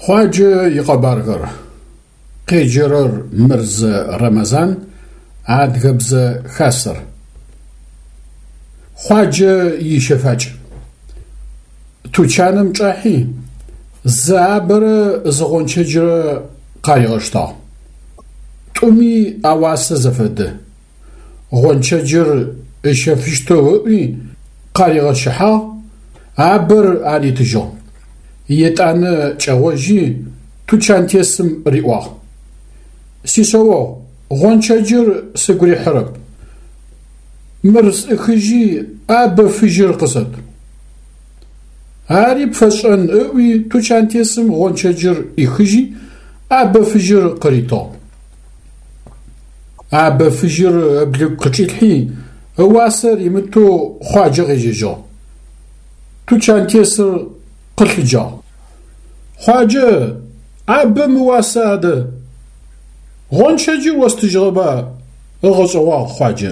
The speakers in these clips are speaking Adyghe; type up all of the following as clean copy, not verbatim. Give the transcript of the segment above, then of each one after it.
Хъуаджэ икъэбархэр. Къеджэрэр Мырзэ Рэмэзан, Адыгэбзэ Хасэр. Хъуаджэ ищэфакӏ. Тучаным чӏахьи, зы абэрэ зы гъончэджрэ къаригъэштагъ. Тӏуми ауасэ зэфэдэ. Гъончэджыр ыщэфыщтэу ыӏуи, къаригъэщыхьагъ, абэр аритыжьыгъ. Етӏанэ кӏэгъожьи, тучантесым риӏуагъ: Сишъэогъу, гъончэджыр сыгу рихьырэп. Мыр сӏыхыжьи, абэ фыжьыр къысэт. Ари пфэсшӏэн, ыӏуи, тучантесым гъончэджыр ӏихыжьи, абэ фыжьыр къыритыгъ. Абэ фыжьыр ыблыгу къычӏилъхьи, ыуасэ римытэу Хъуаджэ къежьэжьыгъ. Тучантесыр къылъыджагъ. Хъуаджэ, абэм ыуасэ адэ? Гъончэджыр остыжьыгъэба? ыгъэшӏэгъуагъ Хъуаджэ.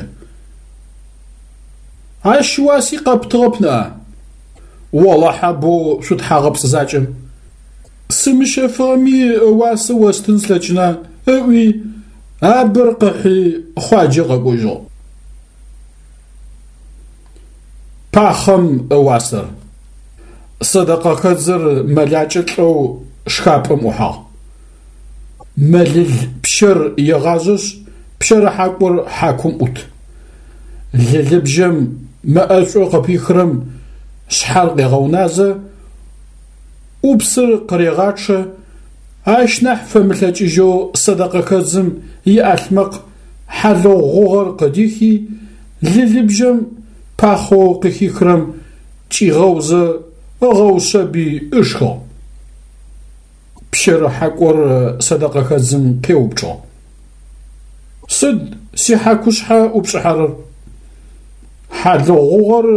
Ащ ыуаси къэптыгъэп ныӏа? Олахьэ боу шъутхьагъэпцӏ закӏэм. Сымыщэфыгъэми ыуасэ остын слъэкӏына, ыӏуи, абэр къыхьи Хъуаджэ къэкӏожьыгъ. Пахъэм ыуасэр. Сэдэкъэхэдзыр мэлакӏэ лӏэу шхапӏэм ӏухьагъ. Мэлыл пщэр егъажъэшъ, пщэрыхьакӏор хьакум ӏут. Лылыбжьэм мэ ӏэшӏоу къыпихырэм шъхьэр къегъэуназэ, ӏупсыр къырегъачъэ, ащ нахь фэмылъэкӏыжьэу сэдэкъэхэдзым иӏалъмэкъ хьалыгъу гъугъэр къыдихи, лылыбжьэм пахъэу къыхихырэм кӏигъэузэ ыгъэушъэби ышхыгъ. Пщэрыхьакӏор сэдэкъэхэдзым къеупчӏыгъ. Сыд сихьакушъхьэ ӏупшӏыхьэрэр? Хьалыгъу гъугъэр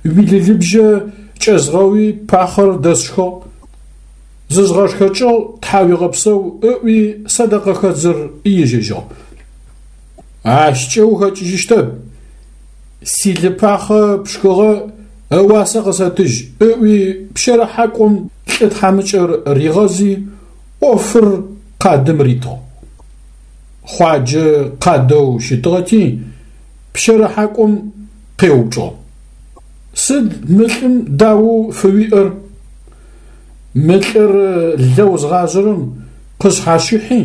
уилылыбжьэ кӏэзгъэуи пахъэр дэсшхыгъ. Зызгъэшхэкӏыгъ, тхьауегъэпсэу, ыӏуи сэдэкъэхэдзыр ежьэжьыгъ. Ащкӏэ ухэкӏыжьыщтэп. Силы пахъэ пшхыгъэ, ыуасэ къысэтыжь, ыӏуи пщэрыхьакӏом лӏы тхьамыкӏэр ригъэзи, ӏофыр къадым ритыгъ. Хъуаджэ къадэу щытыгъэти, пщэрыхьакӏом къеупчӏыгъ. Сыд мы лӏым даоу фыуиӏэр? Мы лӏыр лэу згъажъэрэм къышъхьащыхьи,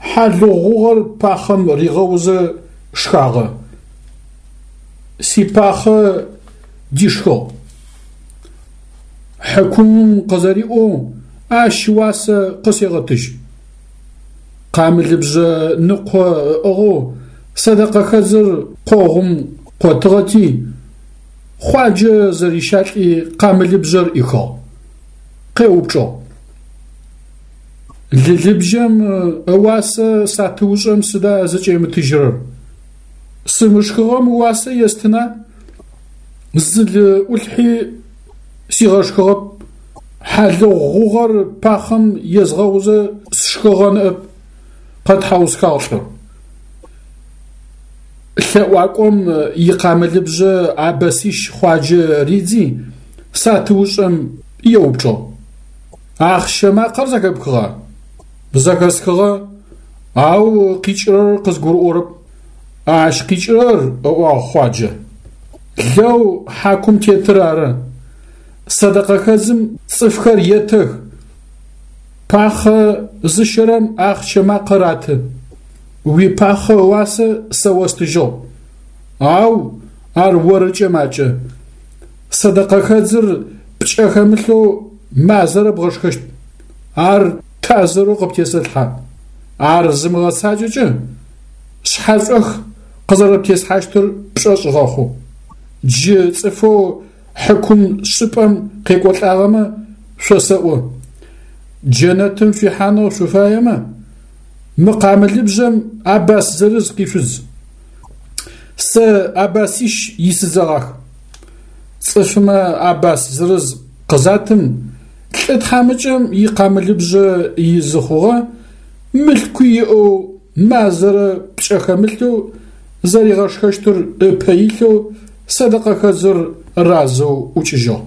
хьалыгъу гъугъэр пахъэм ригъэузэ шхагъэ. Сипахъэ дишхыгъ. Хьыкумым къызэриӏоу ащ уасэ къысегъэтыжь. Къамылыбжъэ ныкъо ыӏыгъэу сэдэкъэхэдзыр къогъум къотыгъэти, Хъуаджэ зэрищалӏи къамылыбжъэр ӏихыгъ. Къеупчӏыгъ. Лылыбжьэм ыуасэ сатыушӏэм сыда зыкӏемытыжьырэр? Сымышхыгъэм уасэ естына? Зы лы ӏулъхьи сигъэшхыгъэп. Хьалыгъу гъугъэр пахъэм езгъэузэ сшхыгъэ ныӏэп, къэтхьаусхагъ лӏыр. Лъэӏуакӏом икъамылыбжъэ абэсищ Хъуаджэ ридзи, сатыушӏэм еупчӏыгъ. Ахъщэ макъэр зэхэпхыгъа? Зэхэсхыгъэ, ау къикӏырэр къызгурыӏорэп. Ащ къикӏырэр, ыӏуагъ Хъуаджэ, лэу хьакум тетыр ары. Сэдэкъэхэдзым цӏыфхэр етэх, пахъэ зыщэрэм ахъщэ макъэ раты. Уипахъэ ыуасэ сэ остыжьыгъ, ау ар орыкӏэ макӏэ. Сэдэкъэхэдзыр пкӏэ хэмылъэу мазэрэ бгъэшхэщт. Ар тазырэу къыптесэлъхьэ. Ар зымыгъэцакӏэкӏэ, шъхьэшӏох къызэрэптеслъхьащтыр пшӏошъ гъэхъу. Джы цӏыфэу хьыкум шӏыпӏэм къекӏолӏагъэмэ шъосэӏо, джэнэтым шъуихьанэу шъуфаемэ, мы къамылыбжъэм абас зырыз къишъудз. Сэ абасищ исыдзэгъах. Цӏыфмэ абас зырыз къызатым, лӏы тхьамыкӏэм икъамылыбжъэ изы хъугъэ, мылъкуи иӏэу мазэрэ пкӏэ хэмылъэу зэригъэшхэщтыр ыпэ илъэу сэдэкъэхэдзыр разэу ӏукӏыжьыгъ.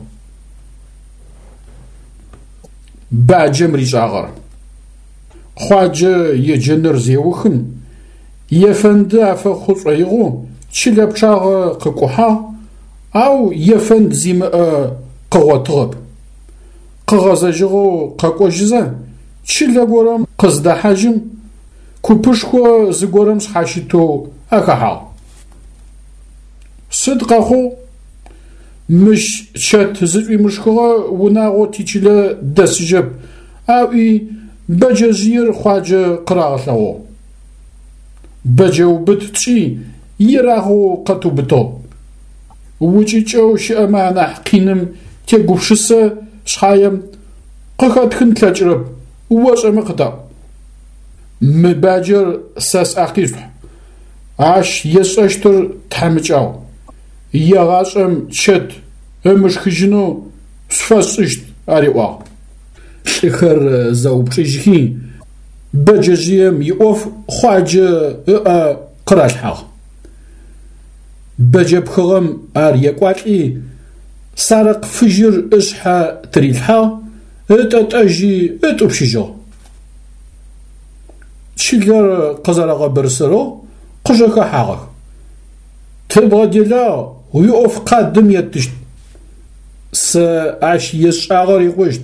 Баджэм ришӏагъэр. Хъуаджэ еджэныр зеухым, ефэнды афэхъу шӏоигъоу чылэ пчъагъэ къыкӏухьагъ, ау ефэнд зимыӏэ къыгъотыгъэп. Къыгъэзэжьыгъэу къэкӏожьызэ, чылэ горэм къыздэхьажьым, купышхо зыгорэм шъхьащытэу ахэхьагъ. Сыд къэхъугъ? Мыщ чэт зышӏуимышхыгъэ унагъо тичылэ дэсыжьэп, аӏуи бэджэжъыер Хъуаджэ къырагъэлъэгъугъ. Бэджэубыт тшӏи, ерагъэу къэтыубытыгъ. Укӏыкӏэу щыӏэмэ анахь къиным тегупшысэ шъхьаем, къыхэтхын тлъэкӏырэп, ошӏэмэ къытаӏу. Мы баджэр сэ сӏэ къишъухь, ащ есшӏэщтыр тхьамыкӏагъу. Егъашӏэм чэт ымышхыжьынэу сфэсшӏыщт, ариӏуагъ. Лӏыхэр зэупчӏыжьхи, бэджэжъыем иӏоф Хъуаджэ ыӏэ къыралъхьагъ. Бэджэ пхыгъэм ар екӏуалӏи, сарыкъ фыжьыр ышъхьэ тырилъхьагъ, ытӏэтӏэжьи ытӏупщыжьыгъ. Чылэр къызэрэгъэбырсырэу къыжэхэхьагъэх. Тыбгъэделагъ, уиӏоф къадым еттыщт. Сэ ащ есшӏагъэр икъущт,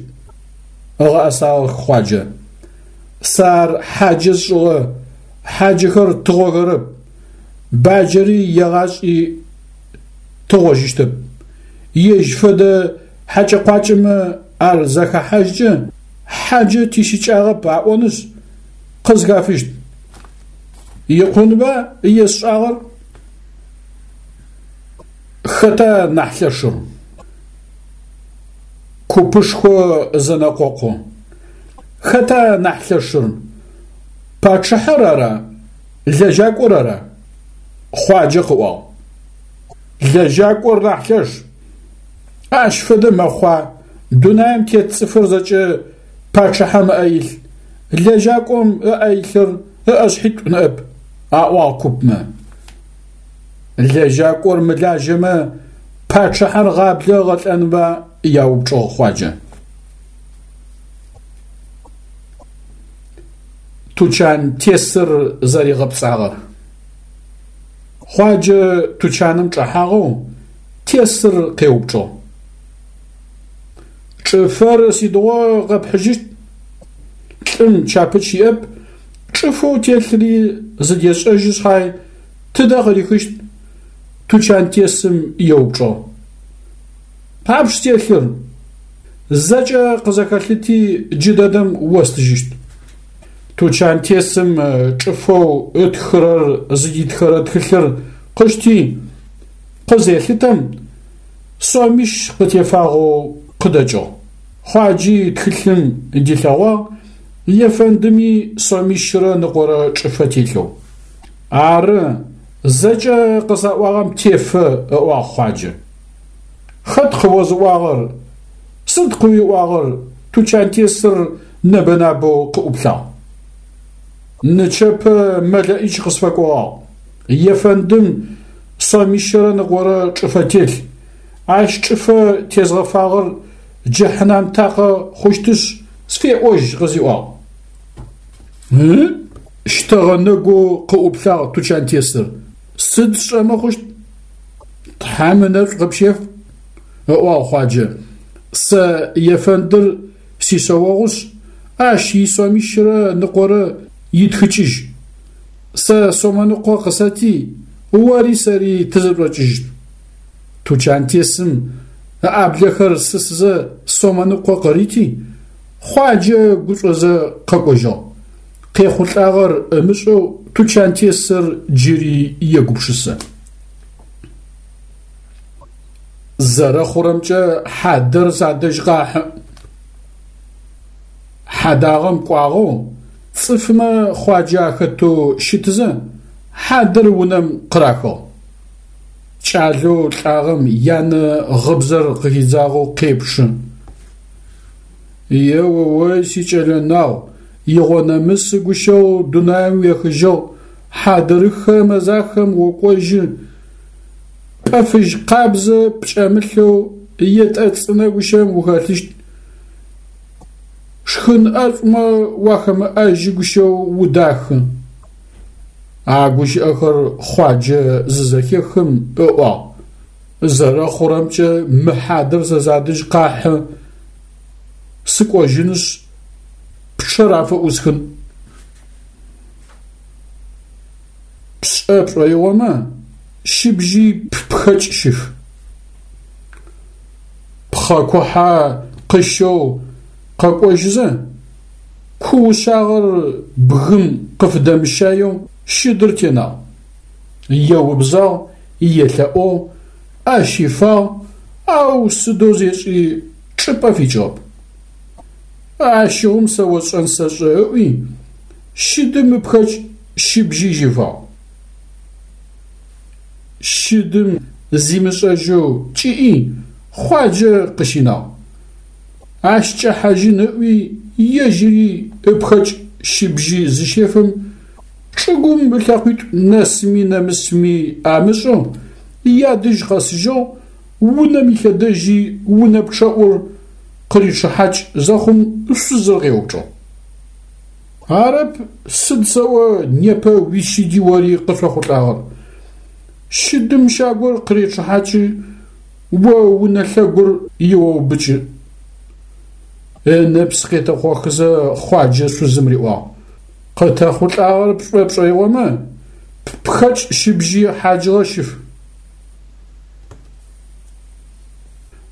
ыгъэӏэсагъэх Хъуаджэ. Сэ ар хьаджэ сшӏыгъэ, хьаджэхэр тыгъохэрэп, баджэри егъашӏи тыгъожьыщтэп. Ежь фэдэ хьакӏэ-къуакӏэмэ ар захэхьажькӏэ, хьаджэ тищыкӏагъэп аӏонышъ, къызхафыщт. Икъунба есшӏагъэр? Хэта нахь лъэшыр? Купышхо зэнэкъокъу. Хэта нахь лъэшыр? Пачъыхьэр ара, лэжьакӏор ара? Хъуаджэ къыӏуагъ. Лэжьакӏор нахь лъэш. Ащ фэдэ мэхъуа, дунаим тет цӏыфыр зэкӏэ пачъыхьэм ыӏэ илъ, лэжьакӏом ыӏэ илъыр ыӏэшъхьитӏу ныӏэп, аӏуагъ купмэ. Лэжьакӏор мылажьэмэ, пачъыхьэр гъаблэ ыгъэлӏэнба? яупчӏыгъ Хъуаджэ. Тучантесыр зэригъэпцӏагъэр. Хъуаджэ тучаным чӏэхьагъэу тесыр къеупчӏыгъ. Чӏыфэр сыдигъо къэпхьыжьыщт? Лӏым чапыч иӏэп, чӏыфэу телъри зыдешӏэжьы шъхьай, тыдэ къырихыщт? Тучантесым еупчӏыгъ. Тхьапш телъыр? Зэкӏэ къызэхэлъыти джыдэдэм остыжьыщт. Тучантесым чӏыфэу ытхырэр зыдитхэрэ тхылъыр къышти, къызелъытэм, сомищ къытефагъэу къыдэкӏыгъ. Хъуаджи тхылъым дилъэгъуагъ, ефэндыми сомищрэ ныкъорэ чӏыфэ телъэу. Ары, зэкӏэ къысаӏуагъэм тефэ, ыӏуагъ Хъуаджэ. Хэт къыозыӏуагъэр? Сыд къыуиӏуагъэр? Тучантесыр нэбэ-набэу къыӏуплъагъ. Нычэпэ мэлэӏич къысфэкӏогъагъ. Ефэндым сомищэрэ ныкъорэ чӏыфэ телъ. Ащ чӏыфэ тезгъэфагъэр джэхьнам такъэ хъущтышъ, сфеӏожь къызиӏуагъ. Ы? Щтэгъэ нэгоу къыӏуплъагъ тучантесыр. Сыд сшӏэмэ хъущт? Тхьэм ынэшӏу къыпщеф, ыӏуагъ Хъуаджэ. Сэ ефэндыр сишъэогъушъ, ащ исомищрэ ныкъорэ итхыкӏыжь. Сэ сомэныкъо къысэти, ори сэри тызэшӏокӏыжьыт. Тучантесым ыӏаблэхэр сысызэ сомэныкъо къырити, Хъуаджэ гушӏозэ къэкӏожьыгъ. Къехъулӏагъэр ымышӏэу тучантесыр джыри егупшысэ. Зэрэхъурэмкӏэ хьадэр садэжь къахьы. Хьадагъэм кӏуагъэу, цӏыфмэ Хъуаджэ ахэтэу щытызэ, хьадэр унэм къырахыгъ. Кӏалэу лӏагъэм янэ гъыбзэр къыхидзагъэу къепчъы. Е-о-ой, сикӏэлэ нагъу, игъонэмысы гущэу дунаим уехыжьыгъ, хьадырыхэ мэзахэм окӏожьы, пӏэ фыжь къабзэ пкӏэмылъэу етӏэ цӏынэ гущэм ухэлъыщт. Шхын ӏэшӏумэ уахэмыӏэжьы гущэу удахы. А гущыӏэхэр Хъуаджэ зызэхехым ыӏуагъ, Зэрэхъурэмкӏэ мы хьадэр сэ садэжь къахьы, сыкӏожьынышъ, пчъэр афыӏусхын. Пшӏэ пшӏоигъомэ, щыбжьый ппхэкӏ щыф. Пхъэ кухьэ къыщэу къэкӏожьызэ, ку ушъагъэр бгым къыфыдэмыщаеу щыдыр тенагъ. Еубзагъ, елъэӏугъ, ӏэ щифагъ, ау сыдэу зешӏи чӏыпӏэ фикӏыгъэп. Ащыгъум сэ осшӏэн сэшӏэ ыӏуи, щыдым ыпхэкӏ щыбжьый щифагъ. Щыдым зимышӏэжьэу кӏыӏи, Хъуаджэ къыщинагъ. Ащ кӏэхьажьын ыӏуи, ежьыри ыпхэкӏ щыбжьый зыщефым, чӏыгум ылъэкъуитӏу нэсми нэмысми амышӏэу, ядэжь къэсыжьыгъ, унэм илъэдэжьи унэ пчъэӏур къыричъыхьакӏ зэхъум шъузыр къеупчӏыгъ. Арэп, сыд сэӏо непэ уищыди ори къышъохъулӏагъэр? Щыдым щагур къыречъыхьакӏы, о унэ лъэгур еоубыкӏы. Ынэпс къетэкъохызэ Хъуаджэ шъузым риӏуагъ, Къытэхъулӏагъэр пшӏэ пшӏоигъомэ, ппхэкӏ щыбжьый хьаджыгъэ щыф.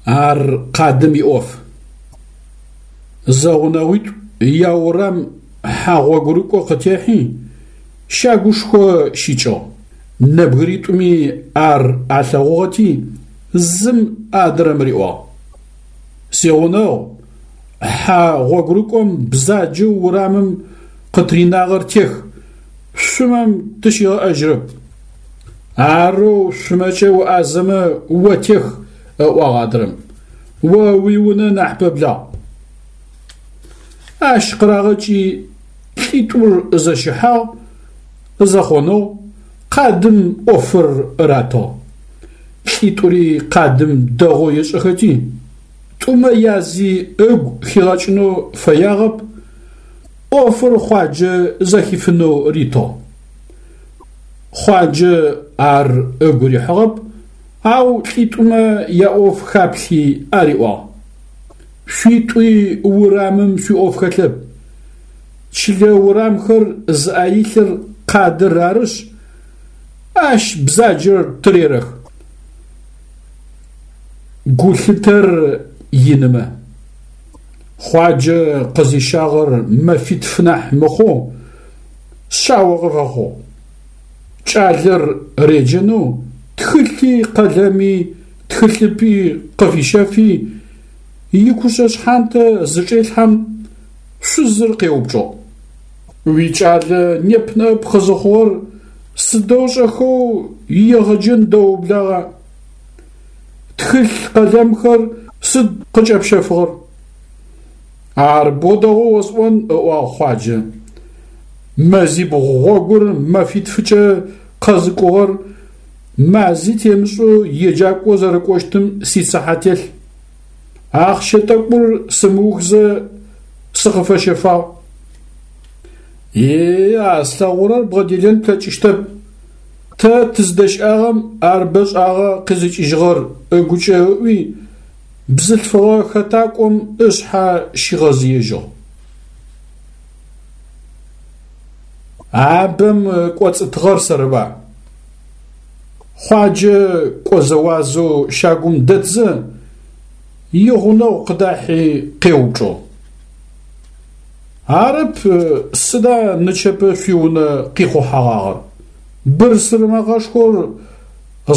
Ар къадым иӏоф. Зэгъунэгъуитӏу яурам хьэ гъогурыкӏо къытехьи, щагушхо щикӏыгъ. Нэбгыритӏуми ар алъэгъугъэти, зым адрэм риӏуагъ: Сигъунэгъу, хьэ гъогурыкӏом бзаджэу урамым къытыринагъэр тех, шъумэм тыщигъэӏэжьырэп. Арэу шъумэкӏэ уӏазэмэ о тех, ыӏуагъ адрэм. О уиунэ нахь пэблагъ. Ащ къырагъэкӏи лӏитӏур зэщыхьагъ, зэхъоныгъ, къадым ӏофыр ратыгъ. Лӏитӏури къадым дэгъоу ешӏэхэти, тӏумэ язи ыгу хигъэкӏынэу фэягъэп, ӏофыр Хъуаджэ зэхифынэу ритыгъ. Хъуаджэ ар ыгу рихьыгъэп, ау лӏитӏумэ яӏоф хаплъи ариӏуагъ: Шъуитӏуи урамым шъуиӏоф хэлъэп. Чылэ урамхэр зыӏэ илъыр къадыр арышъ, ащ бзаджэр тырерэх. Гулъытэр инымэ. Хъуаджэ къызищагъэр мэфитф нахь мыхъоу шъао къыфэхъугъ. Кӏалэр реджэнэу тхылъи къэлэми тхылъыпӏи къыфищэфи, икушъэ шъхьантэ зычӏелъхьэм, шъузыр къеупчӏыгъ. Уикӏалэ неп-ныӏэп къызыхъугъэр сыдэу шӏэхэу иегъэджэн дэоублагъа? Тхылъ къэлэмхэр сыд къыкӏэпщэфыгъэр? Ар бо дэгъоу осӏон, ыӏуагъ Хъуаджэ. Мэзибгъу гъогур мэфитфыкӏэ къэзыкӏугъэр мази темышӏэу еджакӏо зэрэкӏощтым сицыхьэ телъ. Ахъщэ тӏэкӏур сымыухзэ сыкъыфэщэфагъ. Е, а слъэгъурэр бгъэделэн плъэкӏыщтэп. Тэ тыздэщыӏагъэм ар бэшӏагъэ къизыкӏыжьыгъэр ыгукӏэ ыӏуи, бзылъфыгъэ хэтакӏом ышъхьэ щигъэзыежьыгъ. Абэм кӏоцӏытыгъэр сэрыба? Хъуаджэ кӏозэуазэу щагум дэтзэ, игъунэгъу къыдахьи къеупчӏыгъ. Арэп, сыда нычэпэ шъуиунэ къихъухьэгъагъэр? Бырсыр мэкъэшхор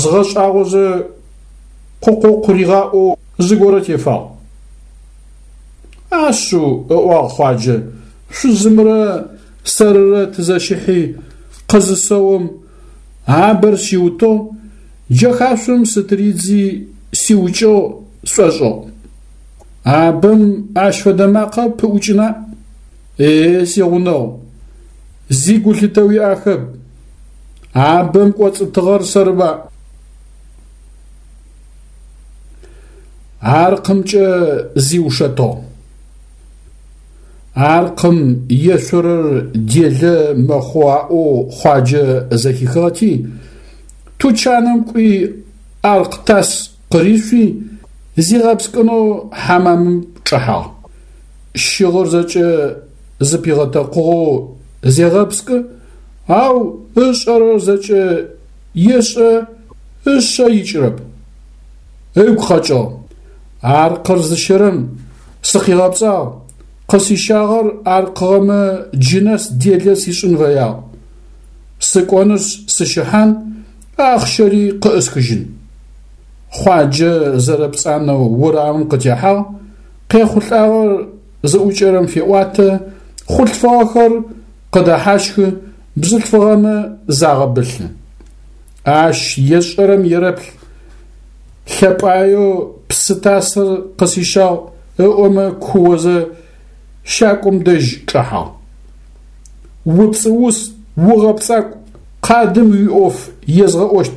згъэшӏагъозэ къукъукъу ригъаӏоу зыгорэ тефагъ. Ашъыу, ыӏуагъ Хъуаджэ, шъузымрэ сэрырэ тызэщыхьи къызысэом, абэр сиутыгъ, джэхашъом сытыридзи сиукӏыгъ сшӏошӏыгъ. Абэм ащ фэдэ макъэ пыӏукӏына? Е, сигъунэгъу, зи гулъытэ уиӏахэп, абэм кӏоцӏытыгъэр сэрыба? Аркъымкӏэ зиушэтыгъ. Аркъым ешъорэр делэ мэхъу аӏоу Хъуаджэ зэхихыгъэти, тучаным кӏуи аркъ тас къыришъуи, зигъэпскӏынэу хьамамым чӏэхьагъ. Щыгъыр зэкӏэ зыпигъэтэкъугъэу зегъэпскӏы, ау ышӏэрэр зэкӏэ ешӏэ, ышъэ икӏырэп. Ыгу къэкӏыгъ. Аркъыр зыщэрэм сыкъигъэпцӏагъ, къысищагъэр аркъыгъэмэ джынэс делэ сишӏын фэягъ. Сыкӏонышъ сыщыхьан, ахъщэри къыӏысхыжьын. Хъуаджэ зэрэпцӏанэу урамым къытехьагъ, къехъулӏагъэр зыӏукӏэрэм феӏуатэ, хъулъфыгъэхэр къыдэхьащхы, бзылъфыгъэмэ загъэбылъы. Ащ ешӏэрэм ерэплъ, лъэпӏаеу псы тасыр къысищагъ ыӏомэ куозэ щакӏом дэжь чӏэхьагъ. Упцӏыус, угъэпцӏакӏу, къадым уиӏоф езгъэӏощт,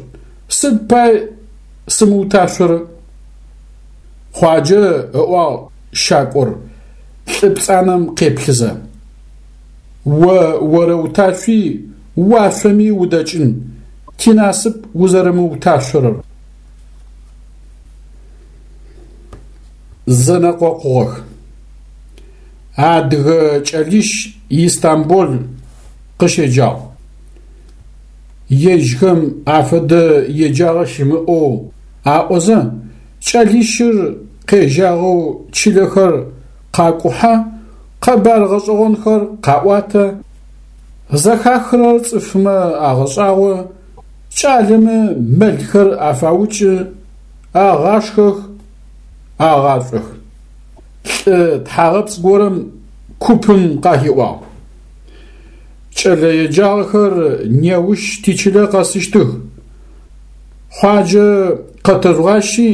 сыд пай сымыуташъорэ? Хъуаджэ, ыӏуагъ щакӏор, лӏы пцӏанэм къеплъызэ. О орэуташъуи, уашъоми удэкӏын, тинасып узэрэмыуташъорэр. Зэнэкъокъугъэх. Адыгэ кӏэлищ Истамбул къыщеджагъ. Ежьхэм афэдэ еджагъэ щымыӏэу аӏозэ, кӏэлищыр къежьагъэу чылэхэр къакӏухьэ, къэбар гъэшӏэгъонхэр къаӏуатэ, зэхахырэр цӏыфмэ агъэшӏагъо, кӏалэмэ мэлхэр афаукӏы, агъашхэх, агъашӏох. Лӏы тхьагъэпцӏ горэм купым къахиӏуагъ. Кӏэлэ еджагъэхэр неущ тичылэ къэсыщтых. Хъуаджэ къэтэжъугъащи,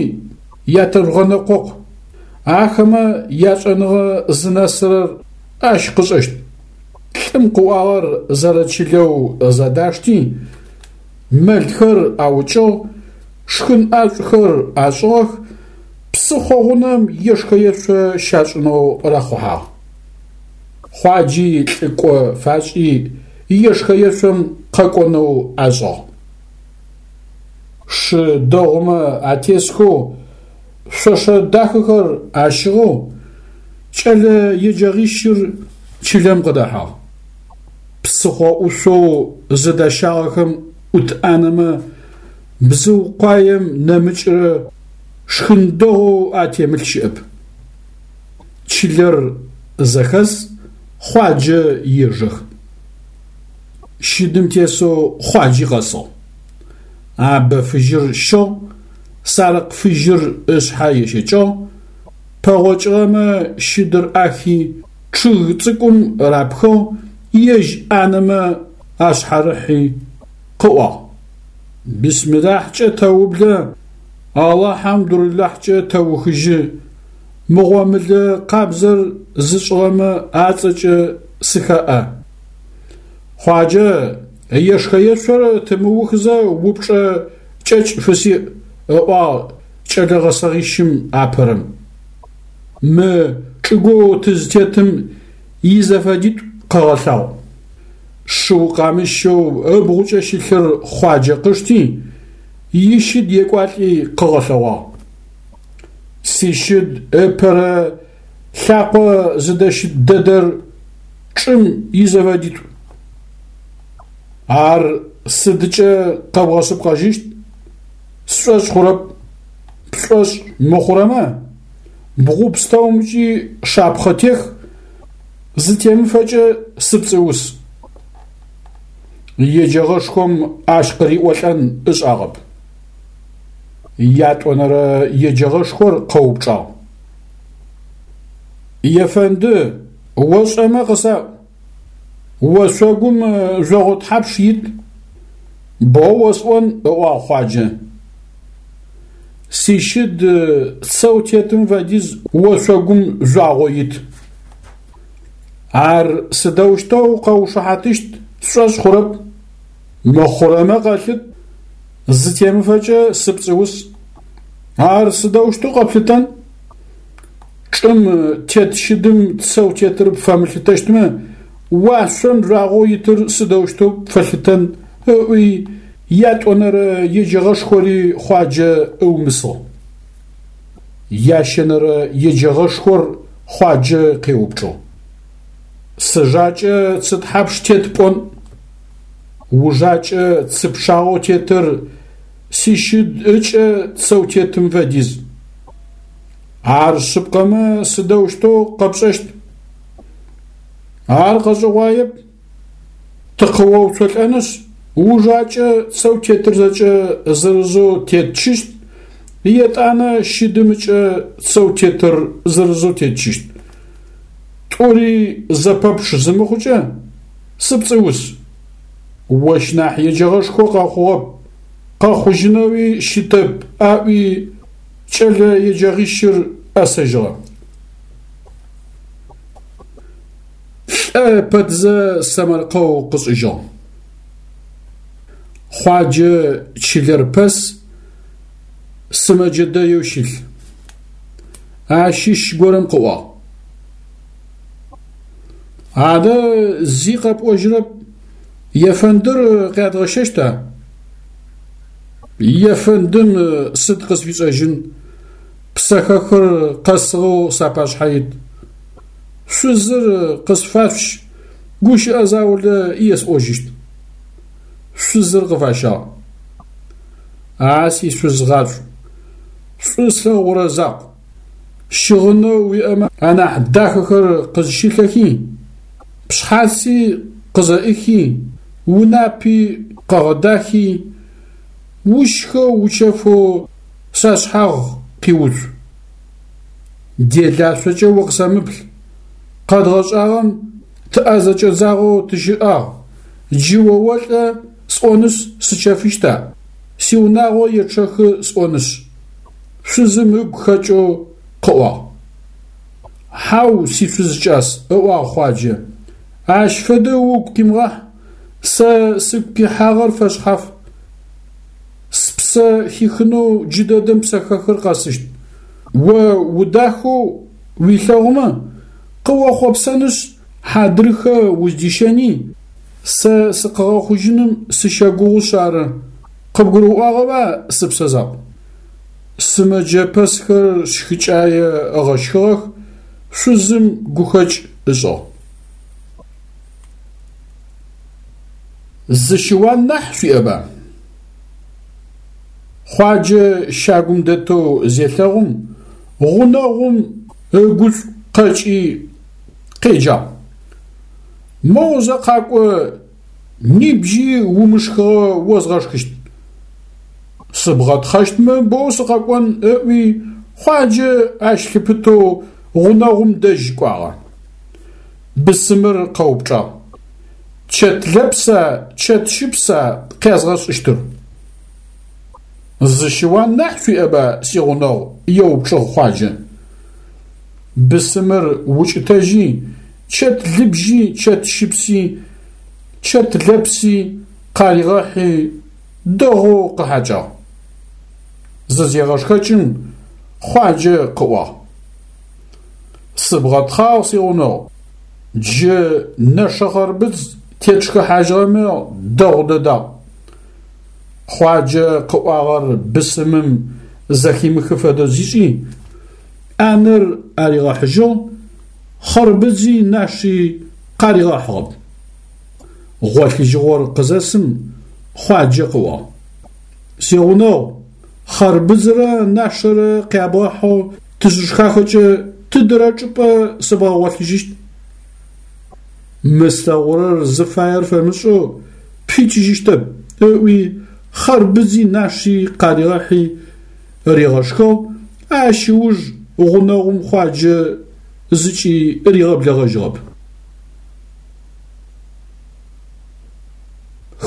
ятэжъугъэнэкъокъу. Ахэмэ яшӏэныгъэ зынэсырэр ащ къышӏэщт. Лӏым къыӏуагъэр зэрэчылэу зэдашти, мэлхэр аукӏыгъ, шхын ӏашӏухэр ашӏыгъэх, псыхъо гъунэм ешхэ-ешъо щашӏынэу рахъухьагъ. Хъуаджи лӏыкӏо фашӏи ешхэ-ешъом къэкӏонэу ашӏыгъ. Шы дэгъумэ атесхэу, шъошэ дахэхэр ащыгъэу кӏэлэ еджэгъищыр чылэм къыдэхьагъ. Псыхъо ӏушъоу зыдащагъэхэм ӏут ӏанэмэ бзыу къуаем нэмыкӏрэ шхын дэгъоу атемылъ щыӏэп. Чылэр зэхэс, Хъуаджэ ежэх. Щыдым тесэу Хъуаджи къэсыгъ. Абэ фыжьыр щыгъ, сарыкъ фыжьыр ышъхьэ ещэкӏыгъ, пэгъокӏыгъэмэ щыдыр ӏахи, чъыг цӏыкӏум рапхыгъ, ежь ӏанэмэ ашъхьарыхьи, къыӏуагъ. Бисмилахькӏэ тэублэ, Алахьамдурилахькӏэ тэухыжьы, мы гъомылэ къабзэр зышӏыгъэмэ ацӏэкӏэ сыхэӏэ. Хъуаджэ, ешхэ-ешъор тымыухызэ упчӏэ кӏэкӏ фысиӏ, ыӏуагъ кӏэлэ гъэсэгъищым апэрэм. Мы чӏыгоу тызтетым изэфэдитӏу къэгъэлъагъу. Шыу къамыщэу ыбгъукӏэ щылъыр Хъуаджэ къышти, ищыд екӏуалӏи къыгъэлъэгъуагъ. Сищыд ыпэрэ лъакъо зыдэщыт дэдэр чӏым изэфэдитӏу. Ар сыдкӏэ къэбгъэшъыпкъэжьыщт? Сшӏошъ хъурэп. Пшӏошъ мыхъурэмэ, бгъу пстэумкӏи шапхъэ тех, зытемыфэкӏэ сыпцӏыус. Еджэгъэшхом ащ къыриӏолӏэн ышӏагъэп. Ятӏонэрэ еджэгъэшхор къэупчӏагъ. Ефэнды, ошӏэмэ къысаӏу, ошъогум жъогъо тхьапш ит? Боу осӏон, ыӏуагъ Хъуаджэ. Сищыд цэу тетым фэдиз ошъогум жъуагъо ит. Ар сыдэущтэу къэушыхьатыщт сшӏошъ хъурэп. Мыхъурэмэ къэлъыт, зытемыфэкӏэ сыпцӏыус. Ар сыдэущтэу къэплъытэн? Чӏым тет щыдым цэу тетыр пфэмылъытэщтмэ, уашъом жъуагъоу итыр сыдэущтэу пфэлъытэн? ыӏуи ятӏонэрэ еджэгъэшхори Хъуаджэ ыумысыгъ. Ящэнэрэ еджэгъэшхор Хъуаджэ къеупчӏыгъ. Сыжакӏэ цы тхьапш тет пӏон? Ужакӏэ цы пчъагъэу тетыр сищыд ыкӏэ цэу тетым фэдиз. Ар шъыпкъэмэ сыдэущтэу къэпшӏэщт? Ар къэшӏэгъуаеп. Тыкъыоуцолӏэнышъ, ужакӏэ цэу тетыр зэкӏэ зырызэу тетчыщт, етӏанэ щыдым ыкӏэ цэу тетыр зырызэу тетчыщт. Тӏури зэпэпчъ зымыхъукӏэ, сыпцӏыус. Ощ нахь еджэгъэшхо къэхъугъэп, къэхъужьынэуи щытэп, аӏуи кӏэлэ еджэгъищыр ӏэсэжьыгъэ. Лӏэ пэтзэ сэмэркъэу къышӏыжьыгъ. Хъуаджэ чылэр пэс, сымэджэ дэеу щылъ. Ащыщ горэм къыӏуагъ. Адэ зи къэпӏожьырэп, ефэндыр къядгъэщэщта? Ефэндым сыд къысфишӏэжьын, псэхэхыр къэсыгъэу сапашъхьэ ит. Шъузыр къысфашъущ, гущыӏэ заулэ есӏожьыщт. Шъузыр къыфащагъ. А сишъуз гъашӏу, шӏу слъэгъурэ закъу, щыгъынэу уиӏэмэ анахь дахэхэр къызщылъэхи, пшъхьаци къызэӏыхи, унапи къэгъэдахи, ущхэу учэфэу сашъхьагъ къиуцу. Делашъокӏэ укъысэмыплъ, къэдгъэшӏагъэм тыӏэ зэкӏэдзагъэу тыщыӏагъ, джы о олӏэ сӏонышъ сычэфыщта, сиунагъо ечъэхы сӏонышъ. Шъузым ыгу хэкӏэу къыӏуагъ. Хьау, сишъуз кӏас, ыӏуагъ Хъуаджэ, ащ фэдэ угу къимыгъахь, сэ сыгу къихьагъэр фэшъхьаф. Спсэ хихынэу джыдэдэм псэхэхыр къэсыщт. О удахэу уилъэгъумэ, къыохъопсэнышъ, хьадрыхэ уздищэни, сэ сыкъыгъэхъужьыным сыщэгугъушъ ары. Къыбгурыӏуагъэба, сыпсэ закъу? Сымэджэ пэсхэр щхыкӏае ыгъэщхыгъэх, шъузым гухэкӏ ышӏыгъ. Зы щыуан нахь шъуиӏэба? Хъуаджэ щагум дэтэу зелъэгъум, гъунэгъум ыгушӏу къэкӏи къеджагъ. Моу зэ къакӏо, нибжьи умышхыгъэ озгъэшхыщт. Сыбгъэтхъэщтмэ, боу сыкъэкӏон, ыӏуи, Хъуаджэ ащ лъыпытэу гъунэгъум дэжь кӏуагъэ. Бысымыр къэупчӏагъ. Чэт лэпса, чэт щыпса къязгъэшӏыщтыр? Зы щыуан нахь шъуиӏэба, сигъунэгъу? еупчӏыгъ Хъуаджэ. Бысымыр укӏытэжьи, чэт лыбжьи, чэт щыпси, чэт лэпси къаригъэхьи, дэгъоу къыхьакӏагъ. Зызегъэшхэкӏым, Хъуаджэ къыӏуагъ. Сыбгъэтхъагъ, сигъунэгъу. Джы нэшэ хъарбыдз тетшхыхьажьыгъэмэ дэгъу дэдагъ. Хъуаджэ къыӏуагъэр бысымым зэхимыхы фэдэу зишӏи, ӏанэр аригъэхьыжьыгъ, хъарбыдзи наши къаригъэхьыгъэп. Гъолъыжьыгъор къызэсым, Хъуаджэ къыӏуагъ. Сигъунэгъу, хъарбыдзрэ нашэрэ къябгъэхьэу тызышхахэкӏэ тыдэрэ чӏыпӏэ сыбгъэгъолъыжьыщт? Мы слъэгъурэр зыфаер фэмышӏэу пфикӏыжьыщтэп, ыӏуи, хъарбыдзи наши къаригъэхьи ригъэшхыгъ, ащ ыуж гъунэгъум Хъуаджэ зыкӏи ригъэблэгъэжьыгъэп.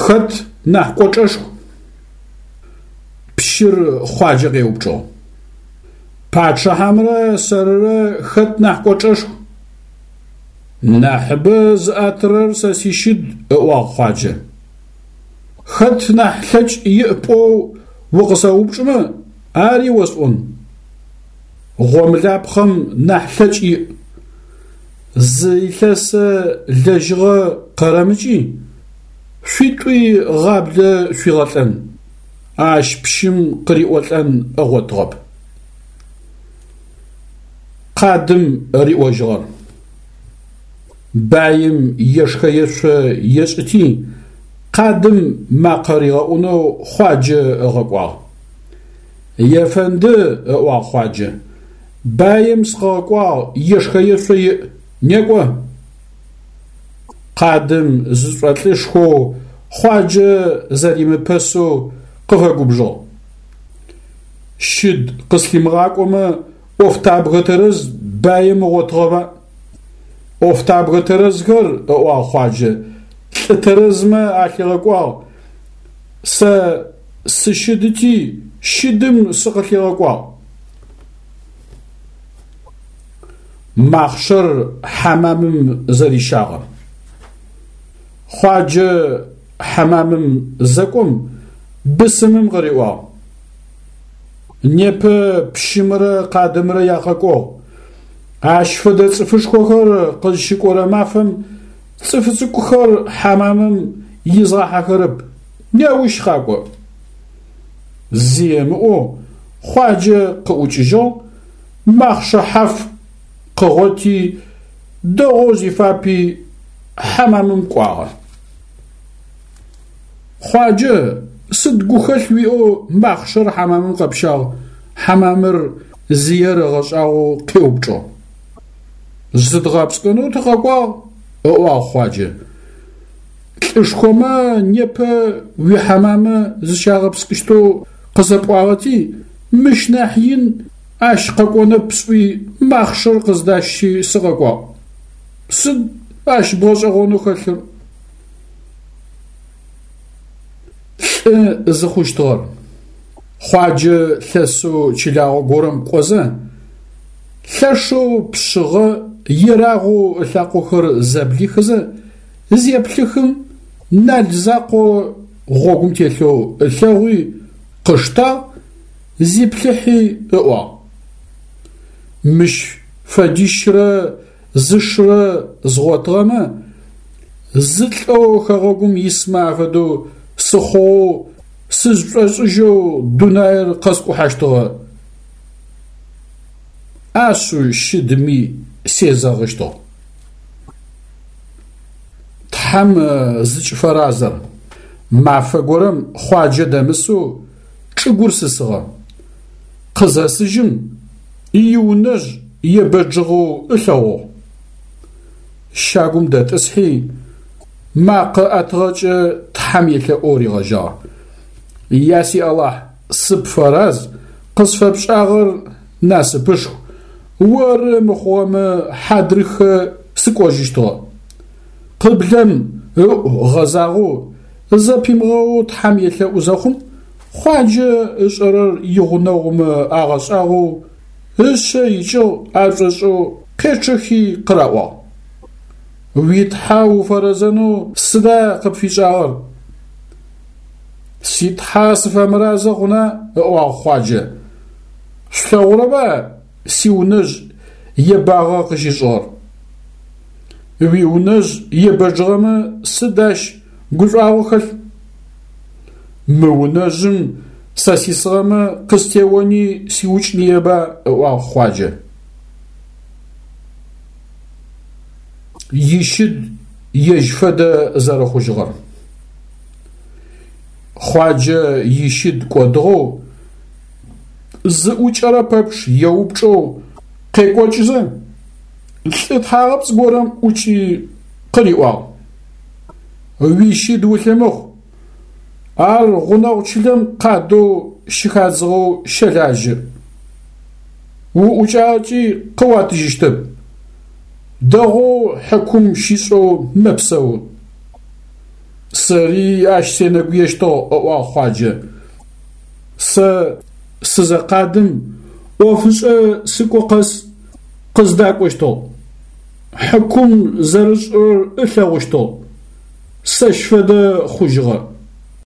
Хэт нахь кӏочӏэшху? Пщыр Хъуаджэ къеупчӏыгъ. Пачъыхьэмрэ сэрырэ хэт нахь кӏочӏэшху? Нахьыбэ зыӏэтырэр сэ сищыд, ыӏуагъ Хъуаджэ. Хэт нахь лъэкӏ иӏ пӏоу укъысэупчӏымэ, ари осӏон. Гъомылапхъэм нахь лъэкӏ иӏ. Зы илъэсэ лэжьыгъэ къэрэмыкӏи, шъуитӏуи гъаблэ шъуигъэлӏэн. Ащ пщым къыриӏолӏэн ыгъотыгъэп. Къадым риӏожьыгъэр. Баим ешхэ-ешъо ешӏыти, къадым макъэ ригъэӏунэу Хъуаджэ ыгъэкӏуагъ. Ефэнды, ыӏуагъ Хъуаджэ, баим сыкъыгъэкӏуагъ, ешхэ-ешъо иӏ, некӏо. Къадым зышӏолӏышхоу Хъуаджэ зэримыпэсэу къыфэгубжыгъ. Щыд къыслъимыгъакӏомэ, ӏофтабгэ тэрэз баим ыгъотыгъэба? ӏофтабгэ тэрэзхэр, ыӏуагъ Хъуаджэ, лӏы тэрэзмэ алъигъэкӏуагъ, сэ сыщыдыти, щыдым сыкъылъигъэкӏуагъ. Махъшэр хьамамым зэрищагъэр. Хъуаджэ хьамамым зэкӏом, бысымым къыриӏуагъ. Непэ пщымрэ къадымрэ якъэкӏогъу. Ащ фэдэ цӏыфышхохэр къызщыкӏорэ мафэм цӏыф цӏыкӏухэр хьамамым изгъахьэхэрэп, неущ къакӏо. Зи ымыӏоу Хъуаджэ къыӏукӏыжьыгъ, махъшэ хьаф къыгъоти, дэгъоу зифапи хьамамым кӏуагъэ. Хъуаджэ, сыд гухэлъ уиӏэу махъшэр хьамамым къэпщагъ? Хьамамыр зиер ыгъэшӏагъоу къеупчӏыгъ. Зыдгъэпскӏынэу тыкъэкӏуагъ, ыӏуагъ Хъуаджэ. Лӏышхомэ непэ уихьамамэ зыщагъэпскӏыщтэу къысэпӏуагъэти, мыщ нахь ин ащ къэкӏонэп сӏуи махъшэр къыздасщи сыкъэкӏуагъ. Сыд ащ бгъэшӏэгъонэу хэлъыр? Лӏы зыхъущтыгъэр. Хъуаджэ лъэсэу чылагъо горэм кӏозэ, лъэшэу пшъыгъэ, ерагъэу ылъакъохэр зэблихызэ, зеплъыхым, нал закъо гъогум телъэу ылъэгъуи, къыштагъ, зиплъыхьи ыӏуагъ. Мыщ фэдищрэ зы шырэ згъотыгъэмэ, зы лӏэу хэгъэгум исмэ афэдэу сыхъугъэу сызшӏошӏыжьэу дунаир къэскӏухьащтыгъэ. Ашъыу щыдми сезэгъыщтыгъ. Тхьэм зыкӏыфэразэр. Мафэ горэм Хъуаджэ дэмысэу чӏыгур сысыгъэ. Къызэсыжьым, иунэжъ ебэджыгъэу ылъэгъугъ. Щагум дэтӏысхьи, макъэ ӏэтыгъэкӏэ Тхьэм елъэӏоу ригъэжьагъ. Я си Алахь, сыпфэраз, къысфэпшӏагъэр насыпышху, оры мыхъугъэмэ хьадрыхэ сыкӏожьыщтыгъэ. Къыблэм ыӏу гъэзагъэу, зэпимыгъэоу Тхьэм елъэӏу зэхъум, Хъуаджэ ышӏэрэр игъунэгъумэ агъэшӏагъоу, ышъэ икӏыгъ ашӏошӏэу къечъэхи къыраӏуагъ. Уи Тхьэ уфэрэзэнэу сыда къыпфишӏагъэр? Си Тхьэ сыфэмыразэ хъуна? ыӏуагъ Хъуаджэ. Шъулъэгъурэба сиунэжъ ебагъэ къыщишӏыгъэр? Уиунэжъ ебэджыгъэмэ сыд ащ гушӏуагъо хэлъ? Мы унэжъым сэ сисыгъэмэ къыстеони сиукӏыныеба, ыӏуагъ Хъуаджэ. Ищыд ежь фэдэ зэрэхъужьыгъэр. Хъуаджэ ищыд кӏодыгъэу, зыӏукӏэрэ пэпчъ еупчӏэу къекӏокӏызэ, лӏы тхьагъэпцӏ горэм ӏукӏи къыриӏуагъ. Уищыд улъымыхъу, ар гъунэгъу чылэм къадэу щыхадзыгъэу щэлажьэ. Уӏукӏагъэкӏи къыуатыжьыщтэп. Дэгъоу хьыкум щишӏэу мэпсэу. Сэри ащ сенэгуещтыгъ, ыӏуагъ Хъуаджэ. Сэ сызэкъадым ӏофышӏэ сыкӏо къэс къыздакӏощтыгъ. Хьыкум зэрышӏырэр ылъэгъущтыгъ. Сэщ фэдэ хъужьыгъэ.